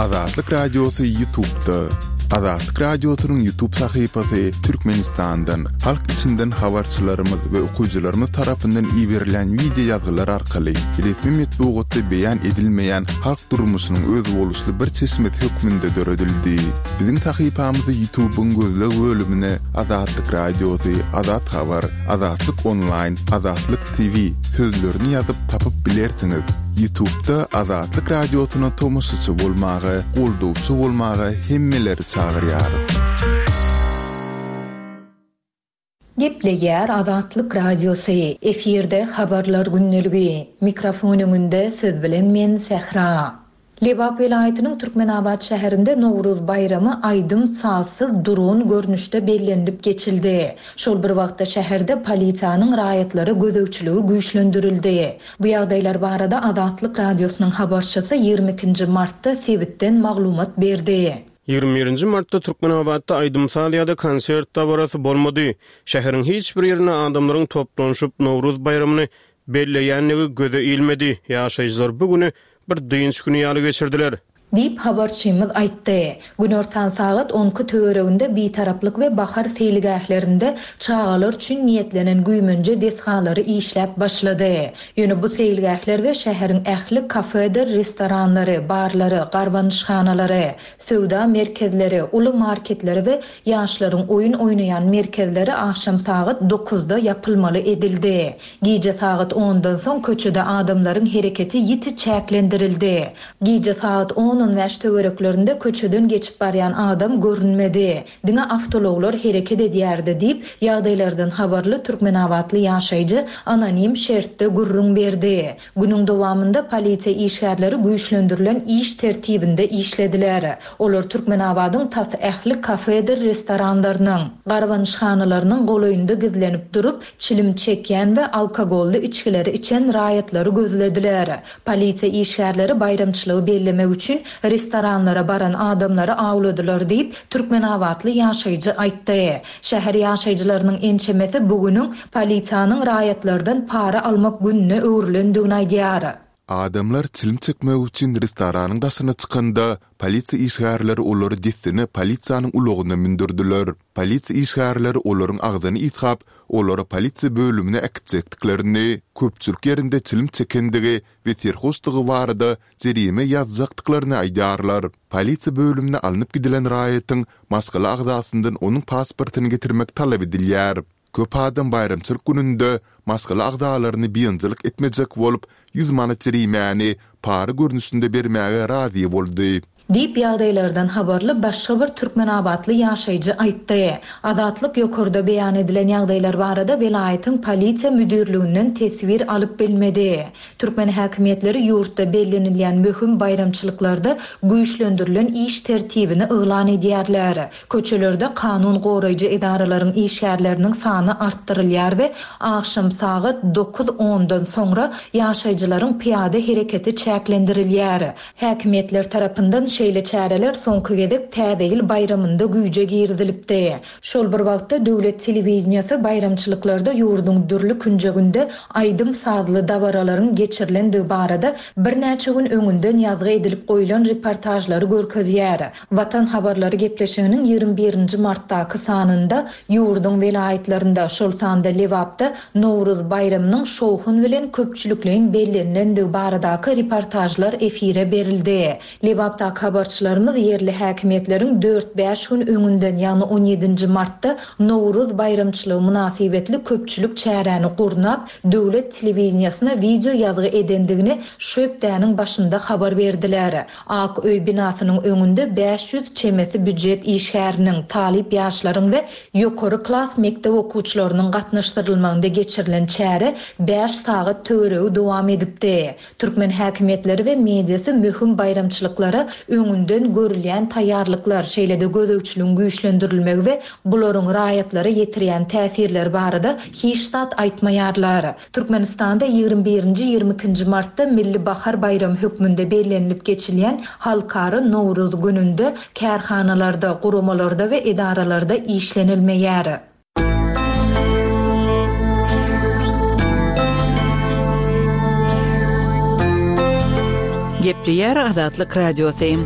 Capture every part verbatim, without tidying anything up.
Azatlyk Radiosy YouTube'da. Azatlyk Radiosynyň YouTube sahypasy Türkmenistandan, halk içinden habarçylarymyz we okyjylarymyz tarapyndan iberilen wideo ýazgylar arkaly resmi metbugatda beýan edilmeýän halk durmuşynyň özboluşly bir çeşmesi hökmünde döredildi. Biziň sahypamyzy YouTube'yň gözleg bölümine Azatlyk Radiosy, Azat Habar, Azatlyk Online, Azatlyk T V sözlerini ýazyp tapyp bilersiňiz. YouTube'da Azatlyk Radiosyna tomaşaçy bolmaga, goldawçy bolmaga hemmeleri çagyrýarys. Gepleýär Azatlyk Radiosy. Efirde habarlar gündeligi. Mikrofon öňünde siz bilen men Sähra. Lebap welaýatynyň Türkmenabat şäherinde Nowruz baýramy aýdym sazsyz durgun görnüşde bellenilip geçildi. Şol bir wagtda şäherde polisiýanyň raýatlara gözegçiligi güýçlendirildi. Bu ýagdaýlar barada Azatlyk Radiosynyň habarçysy ýigrimi ikinji martda sebitden maglumat berdi. Ýigrimi birinji martda Türkmenabatda aýdym saz ýa-da konsert dabarasy bolmady. Şäheriň hiç bir ýerinde adamlaryň toplanyşyp Nowruz baýramyny belleýändigi göze ilmedi. Ýaşaýjylar bu günü bir dynç günü ýaly geçirdiler. Diýip habarçymyz aýtdy. Günortan sagat on iki töwereginde Bitaraplyk we Bahar seýilgählerinde çagalar üçin niýetlenen güýmenje desgalary işläp başlady. Ýöne bu seýilgähler we şäheriň ähli kafedir, restoranlary, barlary, garbanyşhanalary, söwda merkezleri, uly marketleri we ýaşlaryň oýun oýnaýan merkezleri akşam sagat dokuzda ýapylmaly edildi. Gije sagat ondan soň köçede adamlaryň hereketi ýiti çäklendirildi. Gije sagat on on bäş töwereklerinde köçeden geçip barýan adam görünmedi. Diňe awtologlar hereket edýärdi diýip, ýagdaýlardan habarly Türkmenabatly ýaşaýjy anonim şertde gürrüň berdi. Günüň dowamynda polisiýa işgärleri güýçlendirilen iş tertibinde işlediler. Olar Türkmenabadyň tas ähli kafedir restoranlarynyň, garbanyşhanalarynyň golaýynda gizlenip durup, çilim çekýän we alkogolly içgileri içen raýatlary gözlediler. Polisiýa işgärleri baýramçylygy bellemek üçin restoranlara baran adamlary awladylar diýip, Türkmenabatly ýaşaýjy aýtdy. Şäher ýaşaýjylarynyň ençemesi bugünüň polisiýanyň raýatlardan para almak gününe öwrülendigini aýdýar. Adamlar çilim çekmek üçin restoranyň daşyna çykanda polisiýa işgärleri olary dessine polisiýanyň ulagyna mündürdiler. Polisiýa işgärleri olaryň agzyny ýygap, olary polisiýa bölümine äkitjekdiklerini, köpçülik ýerinde çilim çekendigi we serhoşlygy barada jerime ýazjakdyklaryny aýdýarlar. Polisiýa bölümine alnyp gidilen raýatyň maşgala agzasyndan onuň pasportyny getirmek talap edilýär. Köp adam baýramçylyk gününde maşgala agzalaryny biynjalyk etmejek bolup, ýüz manat jerimäni para görnüşinde bermäge razy boldy. Diýip ýagdaýlardan habarly başga bir Türkmenabatly ýaşaýjy aýtdy. Azatlyk ýokarda beýan edilen ýagdaýlar barada welaýatyň polisiýa müdirliginden teswir alyp bilmedi. Türkmen häkimiýetleri ýurtda bellenilýän möhüm baýramçylyklarda güýçlendirilen iş tertibini yglan edýärler. Köçelerde kanun goraýjy edaralaryň işgärleriniň sany artdyrylýar we akşam sagat dokuz ondan soňra ýaşaýjylaryň pyýada hereketi çäklendirilýär. Häkimiýetler tarapyndan şeýle çäreler soňky gezek Täze ýyl baýramynda güýje girizilipdi. Şol bir wagtda döwlet telewiziyası baýramçylyklarda ýurduň dürli künjeginde aýdym sazly dabaralaryň geçirilendigi barada birnäçe gün öňünden ýazgy edilip goýlan reportajlary görkezýär. Watan habarlary gepleşiginiň ýigrimi birinji martdaky sanynda ýurduň welaýatlarynda, şol sanda Lebapda Nowruz baýramynyň şowhun bilen köpçülikleýin bellenilendigi baradaky reportajlar efire berildi. Lebapdaky habarçylarymyz ýerli häkimiýetleriň dört bäş gün öňünden, ýagny on ýedinji martda Nowruz baýramçylygy mynasybetli köpçülik çäräni gurnap, döwlet telewiziýasyna wideo ýazgy edendigini şu hepdäniň başynda habar berdiler. Ak öý binasynyň öňünde bäş ýüz çemesi býujet işgäriniň, talyp ýaşlaryň we ýokary klas mekdep okuwçylarynyň gatnaşdyrylmagynda geçirilen çäre bäş sagat töweregi dowam edipdi. Türkmen häkimiýetleri we mediasy möhüm baýramçylyklara öňünden görülýän taýýarlyklar, şeýle-de gözegçiligiň güýçlendirilmegi we bularyň raýatlara ýetirýän täsirleri barada hiç zat aýtmaýarlar. Türkmenistanda ýigrimi birinji, ýigrimi ikinji martda Milli Bahar baýramy hökmünde bellenilip geçilýän Halkara Nowruz gününde kärhanalarda, guramalarda we edaralarda işlenilmeýär. Gepleýär Azatlyk Radiosy.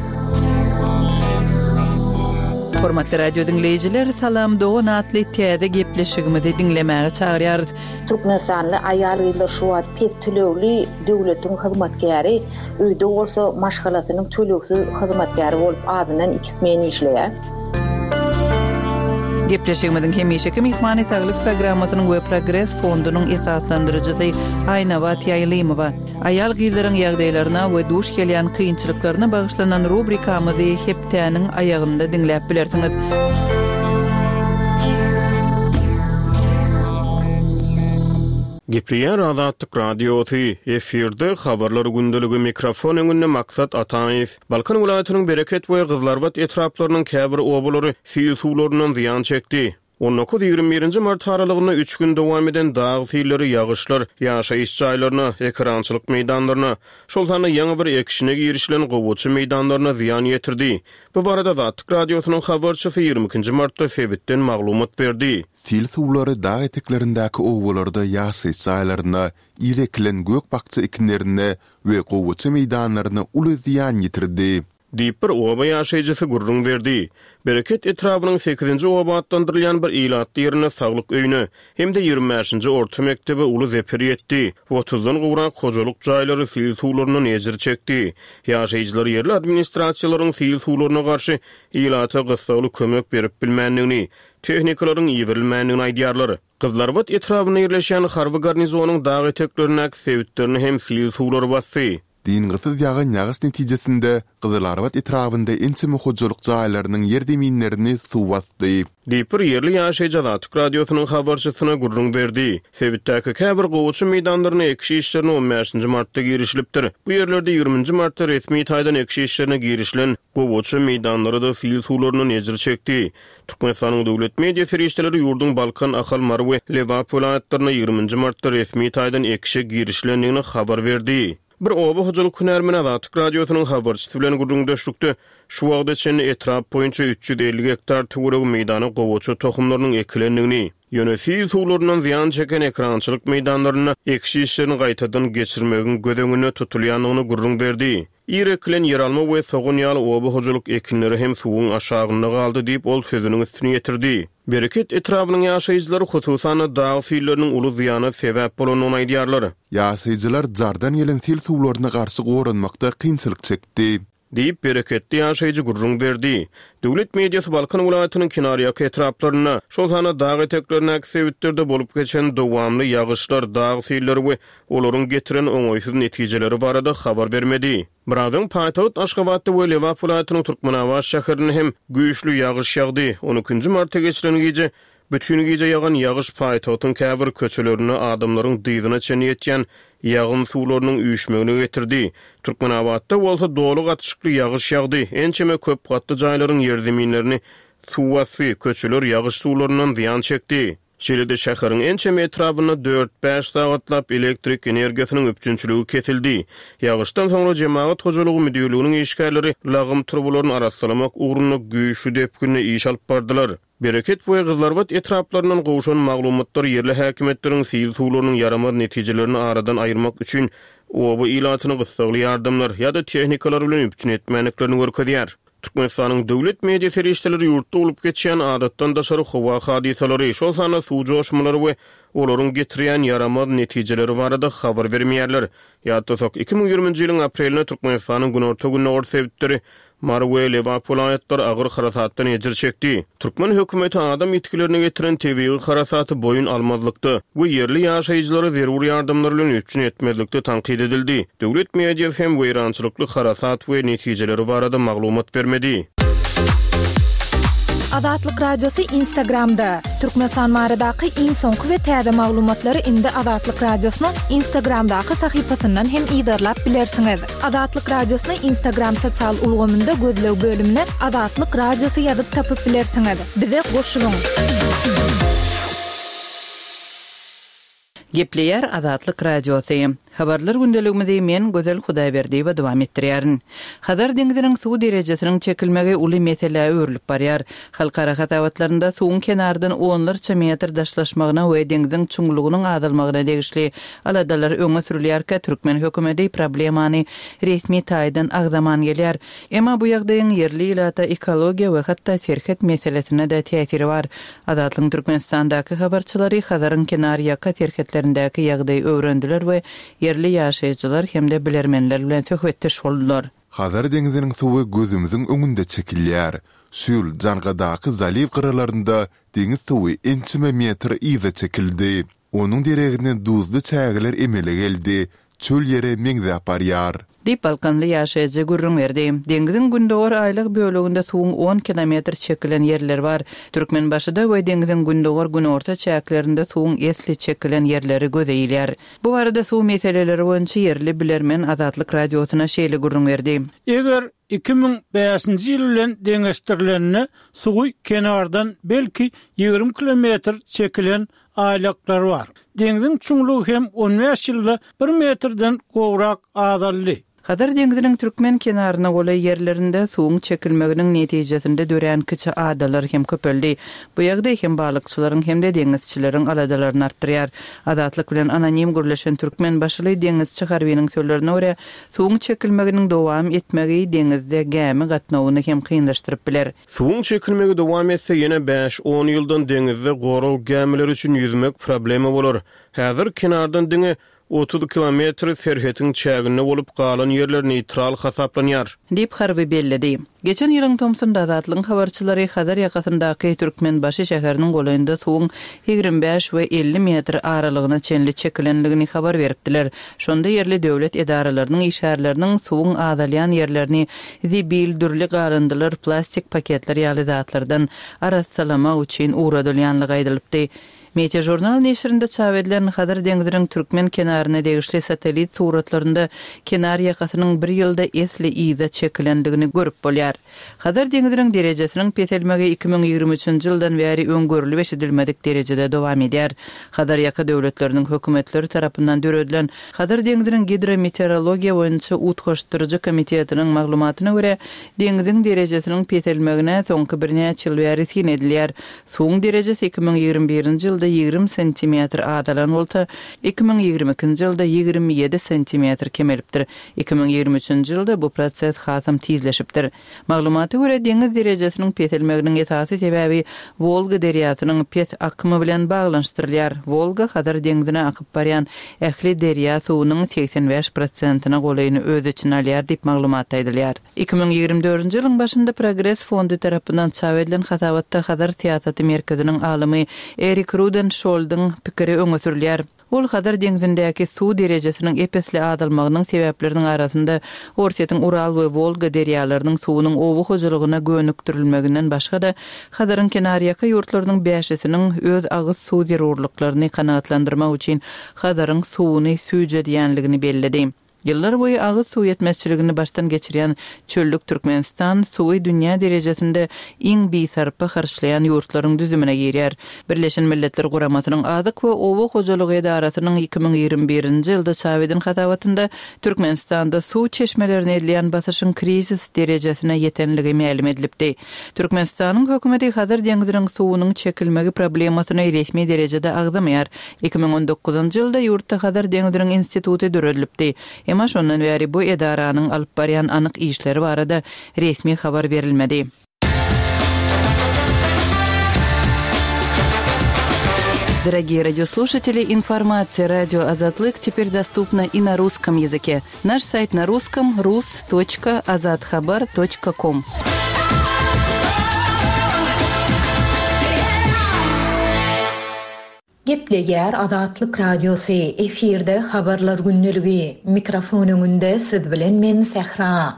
Hormatly radio diňleýjiler, Salam Dogan atly täze gepleşigimizi diňlemäge çagyrýarys. Türkmenistanly aýal-gyzlar şu wagt pes tölegli döwletiň hyzmatkäri, öýde bolsa maşgalasynyň tölegsiz hyzmatkäri bolup azyndan iki smen işleýär. Gepleşigimiziň hemişeki myhmany saglyk programmasynyň we Progres fondunyň esaslandyryjysy Aýnabat Ýaýlymowa. Aýal-gyzlaryň ýagdaýlaryna we duş gelýän kynçylyklaryna bagyşlanan rubrikamyzy hepdäniň aýagynda diňläp bilersiňiz. Gepleýär Azatlyk Radiosy, efirde habarlar gündeligi mikrofon öňünde Maksat Ataýew. Balkan welaýatynyň Bereket we Gyzlarbat etraplarynyň käbir obalary sil suwlaryndan zyýan çekdi. On dokuz ýigrimi birinji mart aralygynda üç gün dowam eden dag silleri ýagyşlar ýaşaýyş jaýlaryna, ekerançylyk meýdanlaryna, şol sanda ýaňy bir ekişine girişilen gowaça meýdanlaryna zyýan ýetirdi. Bu barada Azatlyk Radiosynyň habarçysy ýigrimi ikinji martda sebitden maglumat berdi. Sil suwlary dag eteklerindäki obalarda ýaşaýyş jaýlaryna, ir ekilen gök-bakja ekinlerine we gowaça meýdanlaryna uly zyýan ýetirdi. Diýip bir oba ýaşaýjysy gürrüň berdi. Bereket etrabynyň sekizinji oba atlandyrylýan bir ilatly ýerinde saglyk öýüne hem-de ýigrimi bäşinji orta mekdebe uly zeper ýetdi. Otuzdan gowrak hojalyk jaýlary sil suwlaryndan ejir çekdi. Ýaşaýjylar ýerli administrasiýalaryň sil suwlaryna garşy ilata gyssagly kömek berip bilmändigini, tehnikalaryň iberilmändigini aýdýarlar. Gyzlarbat etrabynda ýerleşýän harby garnizonyň dag eteklerindäki sebitlerini hem sil suwlary basdy. Dyngysyz ýagan ýagyş netijesinde Gyzylarbat etrabynda ençeme hojalyk jaýlarynyň ýer zeminlerini suw basdy. Diýip bir ýerli ýaşaýjy Azatlyk Radiosynyň habarçysyna gürrüň berdi. Sebitdäki käbir gowaça meýdanlaryna ekiş işlerine on bäşinji martda girişilipdir. Bu ýerlerde ýigriminji martda resmi taýdan ekiş işlerine girişilen gowaça meýdanlary-da sil suwlaryndan ejir çekdi. Türkmenistanyň döwlet media serişdeleri ýurduň Balkan, Ahal, Mary we Lebap welaýatlarynda ýigriminji martda resmi taýdan ekişe girişilendigini habar berdi. Bir oba hojalyk hünärmeni Azatlyk Radiosynyň habarçysy bilen gürrüňdeşlikde şu wagta çenli etrap boýunça üç ýüz elli gektar töweregi meýdana gowaça tohumlarynyň ekilendigini, ýöne sil suwlaryndan zyýan çeken ekerançylyk meýdanlarynda ekiş işlerini gaýtadan geçirmegiň göz öňünde tutulýandygyny gürrüň berdi. Ir ekilen ýeralma we sogan ýaly oba hojalyk ekinleri hem suwuň aşagynda galdy diýip ol sözüniň üstüni ýetirdi. Bereket etrabynyň ýaşaýjylary hususan-da dag silleriniň uly zyýana sebäp bolandygyny aýdýarlar. Ýaşaýjylar jardan gelen sil suwlaryna garşy goranmakda kynçylyk çekdi. Diýip bereketli ýaşaýjy gürrüň berdi. Döwlet mediasy Balkan welaýatynyň kenarýaka etraplarynda, şol sanda dag eteklerindäki sebitlerde bolup geçen dowamly ýagyşlar, dag silleri we olaryň getiren oňaýsyz netijeleri barada habar bermedi. Birazdan paýtagt Aşgabatda we Lebap welaýatynyň Türkmenabat şäherinde hem güýçli ýagyş ýagdy. On ikinji martda geçilen gije bütün gije ýagan ýagyş paýtagtyň käbir köçelerinde adamlaryň dyzyna çenli ýetýän ýagyn suwlarynyň üýşmegine getirdi. Türkmenabatda bolsa doly gatyşykly ýagyş ýagdy. Ençeme köp gatly jaýlaryň ýerzeminlerini suw basdy, köçeler ýagyş suwlaryndan zyýan çekdi. Şeýle-de şäheriň ençeme etrabynda dört-bäş sagatlap elektrik energiýasynyň üpjünçiligi kesildi. Ýagyşdan soňra jemagat hojalygy müdirliginiň işgärleri lagym turbalaryny arassalamak ugrunda güýçli depginde iş alyp bardylar. Bereket we Gyzlarbat etraplaryndan gowşan maglumatlar ýerli häkimiýetleriň sil suwlarynyň ýaramaz netijelerini aradan aýyrmak üçin oba ilatyny gyssagly ýardamlar ýa-da tehnikalar bilen üpjün etmändiklerini görkezýär. Türkmenistanyň döwlet media serişdeleri ýurtda bolup geçýän adatdan daşary howa hadysalary, şol sanda suw joşmalary we olaryň getirýän ýaramaz netijeleri barada habar bermeýärler. Ýatlasak, iki müň ýigriminji ýylyň aprelinde Türkmenistanyň günorta-gündogar sebitleri Mary we Lebap welaýatlary agyr harasatdan ejir çekdi. Türkmen hökümeti adam ýitgilerine getiren tebigy harasaty boýun almazlykda we ýerli ýaşaýjylary zerur ýardamlar bilen üpjün etmezlikde tankyt edildi. Döwlet mediasy hem weýrançylykly harasat we netijeleri barada maglumat bermedi. Azatlyk Radiosy Instagramda. Türkmenistan baradaky iň soňky we täze maglumatlary indi Azatlyk Radiosynyň Instagramdaky sahypasyndan hem yzarlap bilersiňiz. Azatlyk Radiosyny Instagram sosial ulgamynda gözleg bölümine Azatlyk Radiosy ýazyp tapyp bilersiňiz. Bize goşulyň. Gepleýär Azatlyk Radiosy. Habarlar gündeligimizi men Gözel Hudaýberdiýewa dowam etdirýärin. Hazar deňziniň suw derejesiniň çekilmegi uly meselä öwrülip barýar. Halkara hasabatlarynda suwuň kenardan onlarça metr daşlaşmagyna we deňziň çuňlugynyň azalmagyna degişli aladalar öňe sürülýärkä, türkmen hökümeti problemany resmi taýdan agzaman gelýär. Emma bu ýagdaýyň ýerli ilata, ekologiýa we hatda serhet meselesine-de täsiri bar. Azatlygyň Türkmenistandaky habarçylary Hazaryň kenarýaka serhetlerindäki ýagdaýy öwrendiler we ýerli ýaşaýjylar hem-de bilermenler bilen söhbetdeş boldular. Hazar deňziniň suwy gözümiziň öňünde çekilýär. Şu ýyl Jangadaky zaliw gyralarynda deňiz suwy ençeme metr yza çekildi. Onuň deregine duzly çägeler emele geldi, çöl ýere meňzäp barýar. Diýip, balkanly ýaşaýjy gürrüň berdi. Deňziň gündogar aýlag böleginde suwuň on kilometr çekilen ýerleri bar. Türkmenbaşyda we deňziň gündogar-günorta çäklerinde suwuň esli çekilen ýerleri göze ilýär. Bu barada suw meseleleri boýunça ýerli bilermen Azatlyk Radiosyna şeýle gürrüň berdi. Eger iki müň bäşinji ýyl bilen deňeşdirilende suwy kenardan belki ýigrimi kilometr çekilen aýlaklar bar. Deňziň çuňlugy hem on bäş ýylda bir metrden gowrak azaldy. Hazar deňziniň türkmen kenaryna golaý ýerlerinde suwuň çekilmeginiň netijesinde dörän kiçi adalar hem köpeldi. Bu ýagdaý hem balykçylaryň hem-de deňizçileriň aladalaryny artdyrýar. Azatlyk bilen anonim gürleşen türkmen başyly deňizçi harbynyň sözlerine görä, suwuň çekilmeginiň dowam etmegi deňizde gämi gatnawyny hem kynlaşdyryp biler. Suwuň çekilmegi dowam etse, ýene bäş-on ýyldan deňizde gorag gämileri üçin ýüzmek problema bolar. Häzir kenardan diňe otuz kilometr serhetiň çäginde bolup galan ýerler neýtral hasaplanýar. Diýip, harby belledi. Geçen ýylyň tomsunda Azatlygyň habarçylary Hazar ýakasyndaky Türkmenbaşy şäheriniň golaýynda suwuň ýigrimi bäş we elli metr aralygyna çenli çekilendigini habar beripdiler. Şonda ýerli döwlet edaralarynyň işgärleriniň suwuň azalýan ýerlerini zibil, dürli galyndylar, plastik paketler ýaly zatlardan arassalamak üçin ugradylýanlygy aýdylypdy. Meteožurnal neşirinde çap edilen Hazar deňziniň türkmen kenaryna degişli satellit suratlarynda kenar ýakasynyň bir ýylda esli yza çekilendigini görüp bolýar. Hazar deňziniň derejesiniň peselmegi iki müň ýigrimi üçünji ýyldan bäri öňgörülip eşidilmedik derejede dowam edýär. Hazar ýaka döwletleriniň hökümetleri tarapyndan döredilen Hazar deňziniň gidrometeorologiýa boýunça utgaşdyryjy komitetiniň maglumatyna görä, deňziň derejesiniň peselmegine soňky birnäçe ýyl bäri syn edilýär. Suwuň derejesi iki müň ýigrimi birinji ýylda ýigrimi santimetr azalan bolsa, iki müň ýigrimi ikinji ýylda ýigrimi ýedi santimetr kemelipdir. Iki müň ýigrimi üçünji ýylda bu proses hasam tizleşipdir. Maglumata görä, deňiz derejesiniň peselmeginiň esasy sebäbi Wolga derýasynyň pes akymy bilen baglanyşdyrylýar. Wolga Hazar deňzine akyp barýan ähli derýa suwunyň segsen bäş prosentine golaýyny öz içine alýar diýip maglumat aýdylýar. Iki müň ýigrimi dördünji ýylyň başynda Progres fondy tarapyndan çap edilen hasabatda Hazar syýasaty merkeziniň alymy Erik Rudenşoldyň pikiri öňe sürülýär. Ol Hazar deňzindäki suw derejesiniň ep-esli azalmagynyň sebäpleriniň arasynda Orsýetiň Ural we Wolga derýalarynyň suwunyň oba hojalygyna gönükdirilmeginden başga-da Hazaryň kenarýaka ýurtlarynyň bäşisiniň öz agyz suw zerurlyklaryny kanagatlandyrmak üçin Hazaryň suwuny süýjedýänligini belledi. Ýyllar boýy agyz suw ýetmezçiligini başdan geçirýän çöllük Türkmenistan suwy dünýä derejesinde iň bisarpa harçlaýan ýurtlaryň düzümine girýär. Birleşen Milletler Guramasynyň Azyk we Oba hojalygy edarasynyň iki müň ýigrimi birinji ýylda çap eden hasabatynda Türkmenistanda suw çeşmelerine edilýän basyşyň krizis derejesine ýetenligi mälim edilipdi. Türkmenistanyň hökümeti Hazar deňziniň suwunyň çekilmegi problemasyny resmi derejede agzamaýar. Iki müň on dokuzynjy ýylda ýurtda Hazar deňziniň instituty döredilipdi. Emma şondan bäri bu edaranyň alyp barýan anyk işleri barada resmi habar berilmedi. Дорогие радиослушатели, информация радио Азатлык теперь доступна и на русском языке. Наш сайт на русском рус точка азатхабар точка ком. Gepleýär Azatlyk Radiosy, efirde habarlar günlügi, mikrofon öňünde siz bilen men Sähra.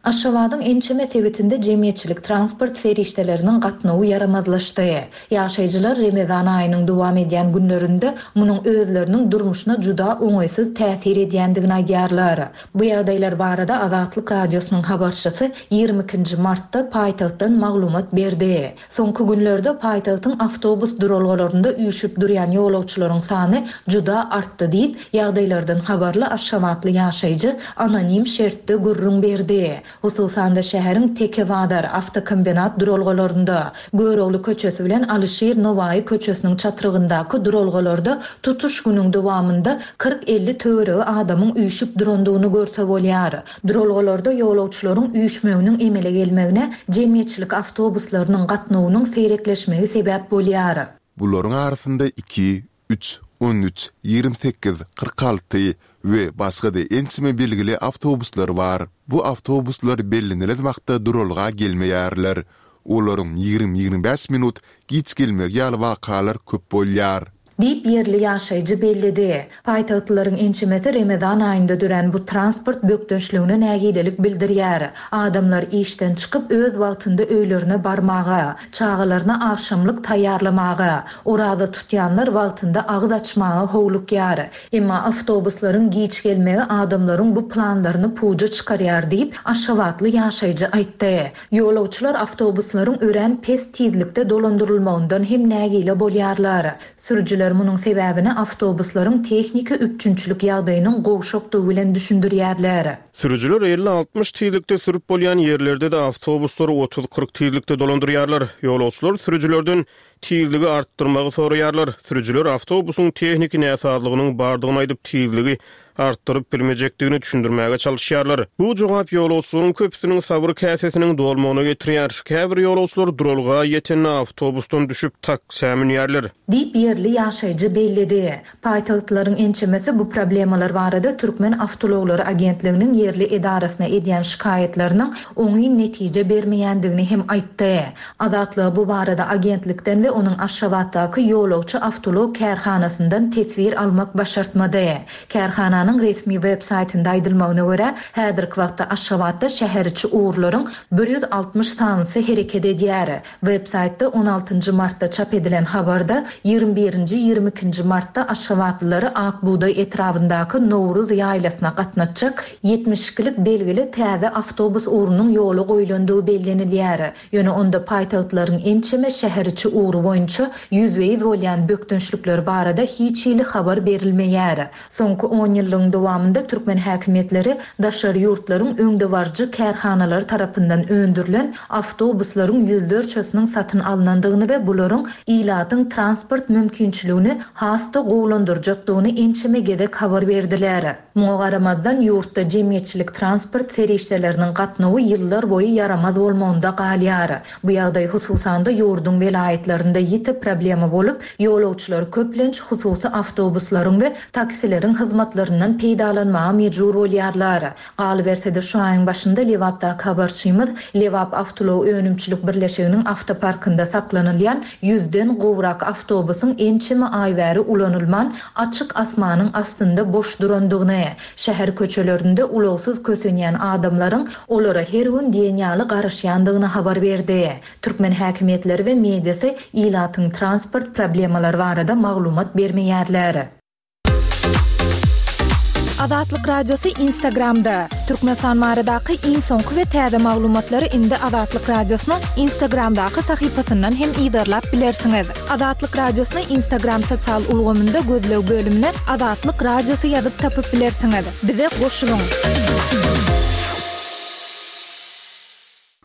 Aşgabadyň ençeme sebitinde jemgyýetçilik transport serişdeleriniň gatnawy ýaramazlaşdy. Ýaşaýjylar Remezan aýynyň dowam edýän günlerinde munuň özleriniň durmuşyna juda oňaýsyz täsir edýändigini aýdýarlar. Bu ýagdaýlar barada Azatlyk Radiosynyň habarçysy ýigrimi ikinji martda paýtagtdan maglumat berdi. Soňky günlerde paýtagtyň awtobus duralgalarynda üýşüp durýan ýolagçylaryň sany juda artdy diýip, ýagdaýlardan habarly aşgabatly ýaşaýjy anonim şertde gürrüň berdi. Hususan-da şäheriň Tekebazar, awtokombinat duralgalarynda, Görogly köçesi bilen Alyşir Nowaýy köçesiniň çatrygyndaky duralgalarda tutuş günüň dowamynda kyrk-elli töweregi adamyň üýşüp durandygyny görse bolýar. Duralgalarda ýolagçylaryň üýşmeginiň emele gelmegine jemgyýetçilik awtobuslarynyň gatnawynyň seýrekleşmegi sebäp bolýar. Bularyň arasynda iki, üç, on üç, ýigrimi sekiz, kyrk alty we başga-da ençeme belgili awtobuslar bar. Bu awtobuslar bellenilen wagtda duralga gelmeýärler. Olaryň ýigrimi-ýigrimi bäş minut giç gelmegi ýaly wakalar köp bolýar. Diýip, ýerli ýaşaýjy belledi. Paýtagtlylaryň ençemesi Remezan aýynda dörän bu transport bökdençligine nägilelik bildirýär. Adamlar işden çykyp öz wagtynda öýlerine barmaga, çagalaryna agşamlyk taýýarlamaga, oraza tutýanlar wagtynda agyz açmaga howlukýar. Emma awtobuslaryň giç gelmegi adamlaryň bu planlaryny puja çykarýar diýip, Aşgabatly ýaşaýjy aýtdy. Ýolagçylar awtobuslaryň örän pes tizlikde dolandyrylmagyndan hem nägile bolýarlar. Sürüjiler munuň sebäbini awtobuslaryň tehniki üpjünçilik ýagdaýynyň gowşakdygy bilen düşündirýärler. Sürüjiler elli-altmyş tizlikde sürüp bolýan ýerlerde-de awtobuslary otuz-kyrk tizlikde dolandyrýarlar. Ýolagçylar sürüjilerden tizligi artdyrmagy soraýarlar. Sürüjiler awtobusyň tehniki näsazlygynyň bardygyny aýdyp tizligi artdyryp bilmejekdigini düşündirmäge çalışýarlar. Bu jogap ýolagçylaryň köpüsiniň sabyr käsesiniň dolmagyna getirýär. Käbir ýolagçylar duralga ýetende awtobusdan düşüp taksä münýärler. Diýip ýerli ýaşaýjy belledi. Paýtagtlaryň ençemesi bu problemalar barada Türkmen Awtoulaglary agentliginiň ýerli edarasyna edýän şikaýatlarynyň oňyn netije bermeýändigini hem aýtdy. Azatlyga bu barada agentlikden we onuň Aşgabatdaky ýolagçy awtoulag kärhanasyndan teswir almak başartmady. Kärhananyň resmi web saýtynda aýdylmagyna görä, häzirki wagtda Aşgabatda şäheriçi ugurlaryň bir ýüz altmyş sanysy hereket edýär. Web saýtda on altynjy martda çap edilen habarda ýigrimi birinji, ýigrimi ikinji martda Aşgabatlylary Ak Bugdaý etrabyndaky Nowruz ýaýlasyna gatnatjak ýetmiş ikilik belgili täze awtobus ugrunyň ýola goýlandygy bellenilýär. Ýöne onda paýtagtlaryň ençeme şäheriçi ugry boýunça ýüzbe-ýüz bolýan bökdençlikler barada hiç hili habar berilmeýär. Soňky on ýyllygyň dowamynda türkmen häkimiýetleri daşary ýurtlaryň öňdebaryjy kärhanalary tarapyndan öndürilen awtobuslaryň ýüzlerçesiniň satyn alnandygyny we bularyň ilatyň transport mümkinçiligini has-da gowulandyrjakdygyny ençeme gezek habar berdiler. Muňa garamazdan ýurtda jemgyýetçilik transport serişdeleriniň gatnawy ýyllar boýy ýaramaz bolmagynda galýar. Bu ýagdaý hususan-da ýurduň welaýatlarynda ýiti problema bolup, ýolagçylar köplenç hususy awtobuslaryň we taksileriň hyzmatlaryndan peýdalanmaga mejbur bolýarlar. Galyberse-de şu aýyň başynda Lebapdaky habarçymyz Lebap Awtoulag önümçilik birleşiginiň awtoparkynda saklanylýan ýüzden gowrak awtobusyň ençeme aý bäri ulanylman açyk asmanyň astynda boş durandygyny, şäher köçelerinde ulagsyz kösenýän adamlaryň olara her gün diýen ýaly garaşýandygyny habar berdi. Türkmen häkimiýetleri we mediasy ilatyň transport problemalary barada maglumat bermeýärler. Azatlyk Radiosy Instagramda. Türkmenistan baradaky iň soňky we täze maglumatlary indi Azatlyk Radiosynyň Instagramdaky sahypasyndan hem yzarlap bilersiňiz. Azatlyk Radiosyny Instagram sosial ulgamynda gözleg bölümine Azatlyk Radiosy ýazyp tapyp bilersiňiz. Bize goşulyň.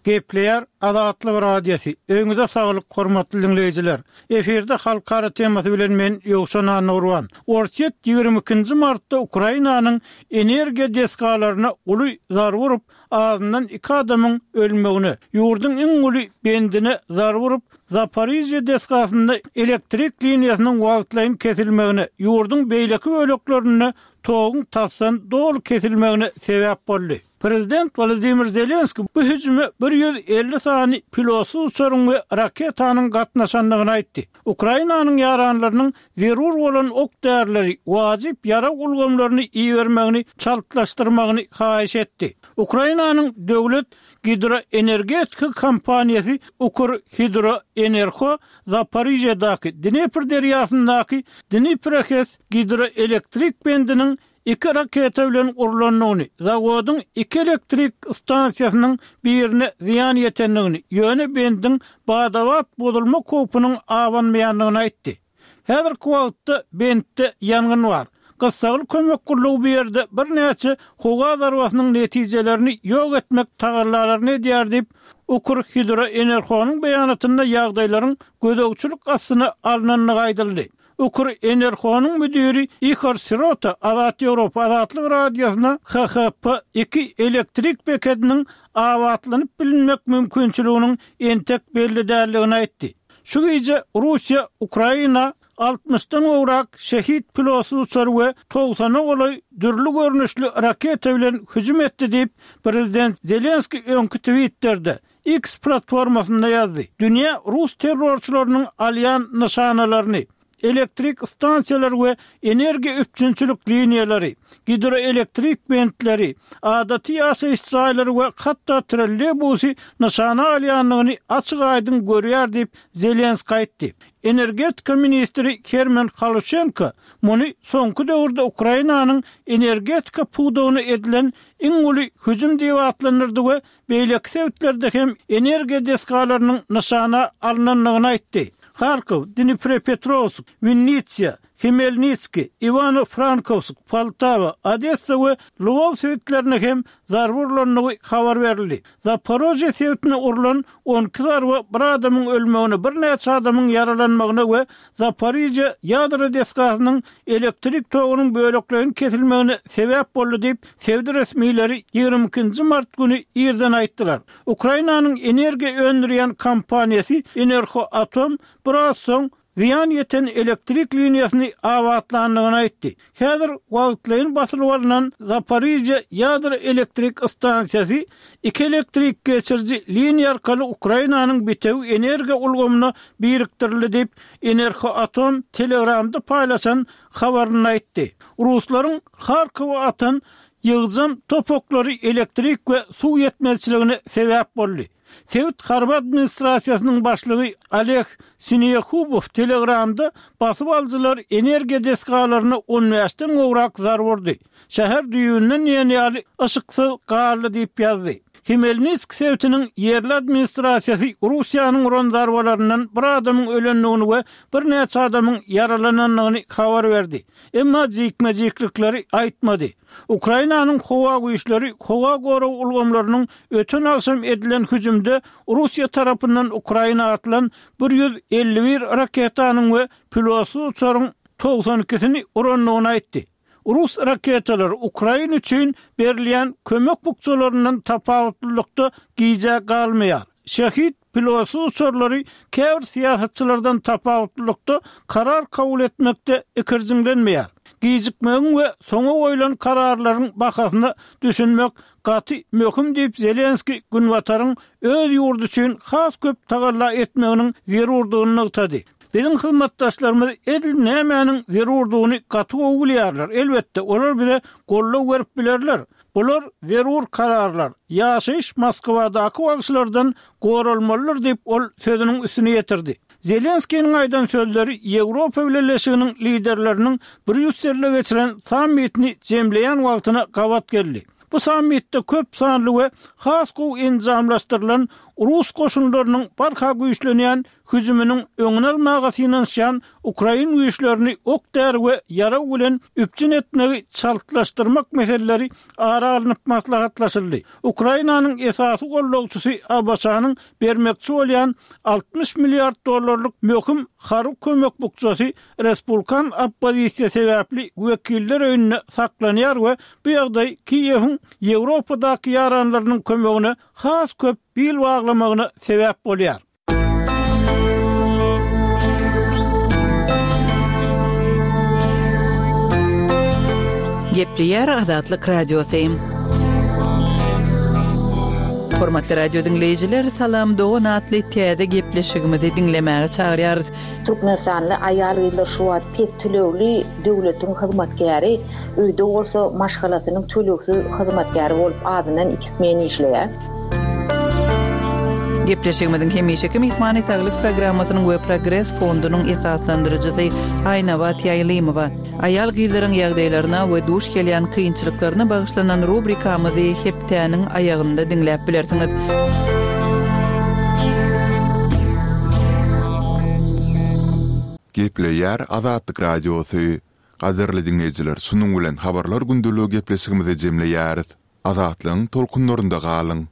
Gepleýär Azatlyk Radiosy. Öýüňize saglyk, hormatly dinleýjiler. Efirde halkara temasy bilen men Ýowşan Annagurban. Orsýet ýigrimi ikinji martda Ukrainanyň energiýa desgalaryna uly zarba urup, azyndan iki adamyň ölmegine, ýurduň iň uly bendine zarba urup, Zaporizhye desgasynda elektrik liniýasynyň wagtlaýyn kesilmegine, ýurduň beýleki böleklerinde toguň tasdan doly kesilmegine sebäp boldy. Prezident Wolodymyr Zelenskiý bu hüjüme bir ýüz elli sany pilotsyz uçaryň we raketanyň gatnaşandygyny aýtdy. Ukrainanyň ýaranlarynyň zerur bolan ok-därileri, wajyp ýarag ulgamlaryny ibermegini çaltlaşdyrmagyny haýyş etdi. Ukrainanyň döwlet gidroenergetika kompaniýasy Ukrhidroenerho Zaporižýadaky Dnepr derýasyndaky Dniprohes gidroelektrik bendiniň iki raketa bilen urlandygyny, zawodyň iki elektrik stansiýasynyň birine zyýan ýetendigini, ýöne bendiň bada-bat bozulmak howpunyň abanmaýandygyny aýtdy. Häzirki wagtda bentde ýangyn bar. Gyssagly kömek gullugy bu ýerde birnäçe howa zarbasynyň netijelerini ýok etmek tagallalaryny edýär diýip, Ukrhidroenerhonyň beýanatynda ýagdaýlaryň gözegçilik astyna alnandygy aýdyldy. Ukrenerhonyň müdiri Ihor Sirota Azat Ýewropa Azatlyk Radiosyna HHP iki elektrik bekediniň abatlanyp bilinmek mümkinçiliginiň entek belli däldigini aýtdy. Şu gije Russiýa Ukraina altmyşdan gowrak şehit pilotsyz uçar we togsana golaý dürli görnüşli raketa bilen hüjüm etdi diýip, prezident Zelenskiý öňki Twitterde, X platformasynda ýazdy. Dünýä rus terrorçylarynyň alýan nyşanalaryny, elektrik stansiýalary we energiýa üpjünçilik liniýalary, gidroelektrik bentleri, adaty ýaşaýyş jaýlary we hatda trolleýbusy nyşana alýandygyny açyk-aýdyň görýär diýip, Zelenskiý aýtdy. Energetika ministri Herman Haluçenko muny soňky döwürde Ukrainanyň energetika pudagyna edilen iň uly hüjüm diýip atlandyrdy we beýleki sebitlerde hem energiýa desgalarynyň nyşana alnandygyny aýtdy. Harkow, Dniprepetrowsk, Winnitsia, Hmelnitskiý, Iwano-Frankowsk, Poltawa, Odessa we Lwow sebitlerine hem zarba urlandygy habar berildi. Zaporožýe sebitine urlan on iki zarba bir adamyň ölmegine, birnäçe adamyň ýaralanmagyna we Zaporižýe ýadro desgasynyň elektrik togunyň bölekleýin kesilmegine sebäp boldy diýip, sebit resmileri ýigrimi ikinji mart güni irden aýtdylar. Ukrainanyň energiýa öndürýän kompaniýasy Enerhoatom biraz soň zyýan ýeten elektrik liniýasyny abatlandygyny aýtdy. Häzir wagtlaýyn basylyp alnan Zaporižýa ýadro elektrik stansiýasy iki elektrik geçiriji liniýa arkaly Ukrainanyň bitewi energiýa ulgamyna birikdirildi diýip, Enerhoatom Telegramda paýlaşan habarynda aýtdy. Ruslaryň Harkowa atan ýygjam top oklary elektrik we suw ýetmezçiligine sebäp boldy. Sebit harby administrasiýasynyň başlygy Oleg Sinehubow Telegramda basyp alyjylar energiýa desgalaryna on bäşden gowrak zarba urdy. Şäher düýbünden diýen ýaly yşyksyz galdy diýip ýazdy. Hmelnitsk sebitiniň ýerli administrasiýasy Russiýanyň uran zarbalaryndan bir adamyň ölendigini we birnäçe adamyň ýaralanandygyny habar berdi. Emma jikme-jiklikleri aýtmady. Ukrainanyň howa güýçleri howa gorag ulgamlarynyň öten agşam edilen hüjümde Russiýa tarapyndan Ukraina atylan bir ýüz elli bir raketanyň we pilotsyz uçaryň togsan ikisini urandygyny aýtdy. Rus raketalary Ukraina üçin berilýän kömek bukjalaryndan tapawutlylykda gijä galmaýar. Şehit pilotsyz uçarlary käbir syýasatçylardan tapawutlylykda karar kabul etmekde ikirjiňlenmeýär. Gijikmegiň we soňa goýlan kararlaryň bahasyna düşünmek gaty möhüm diýip Zelenskiý Günbataryň öz ýurdy üçin has köp tagalla etmeginiň zerurdygyny nygtady. Biziň hyzmatdaşlarymyz edil nämäniň zerurdygyny gaty gowy bilýärler. Elbetde, olar bize goldaw berip bilerler. Bular zerur kararlar. Ýaşaýyş Moskwadaky wagşylardan goralmalydyr diýip, ol sözüniň üstüni ýetirdi. Zelenskiniň aýdan sözleri Ýewropa Bileleşiginiň liderleriniň Brýusselde geçiren sammitini jemleýän wagtyna gabat geldi. Bu sammitde köp sanly we has gowy enjamlaşdyrylan rus goşunlarynyň barha güýçlenýän hüjüminiň öňüni almaga synanyşýan ukrain güýçlerini ok-däri we ýarag bilen üpjün etmegi çaltlaşdyrmak meseleleri ara alnyp maslahatlaşyldy. Ukrainanyň esasy gollagçysy ABŞ-nyň bermekçi bolýan altmyş milliard dollarlyk möhüm harby kömek bukjasy respublikan oppozisiýa sebäpli wekiller öýünde saklanýar we bu ýagdaý Kiýewiň Ýewropadaky ýaranlarynyň kömegine has köp bil baglamagyna sebäp bolýar. Gepleýär Azatlyk Radiosy. Hormatly radio diňleýjiler, Salam dogan atly täze gepleşigimizi diňlemäge çagyrýarys. Türkmenistanly aýal-gyzlar şu wagt pes tölegli döwletiň hyzmatkäri, öýde bolsa maşgalasynyň tölegsiz hyzmatkäri bolup azyndan iki smen işleýär. Gepleşigimiziň hemişeki myhmany Saglyk programmasynyň we Progres fondunyň esaslandyryjysy Aýnabat Ýaýlymowa. Aýal-gyzlaryň ýagdaýlaryna we duş gelýän kynçylyklaryna bagyşlanan rubrikamyzy hepdäniň aýagynda diňläp bilersiňiz. Gepleýär Azatlyk Radiosy. Gadyrly diňleýjiler, şunuň bilen Habarlar gündeligi gepleşigimizi jemleýäris. Azatlygyň tolkunlarynda galyň!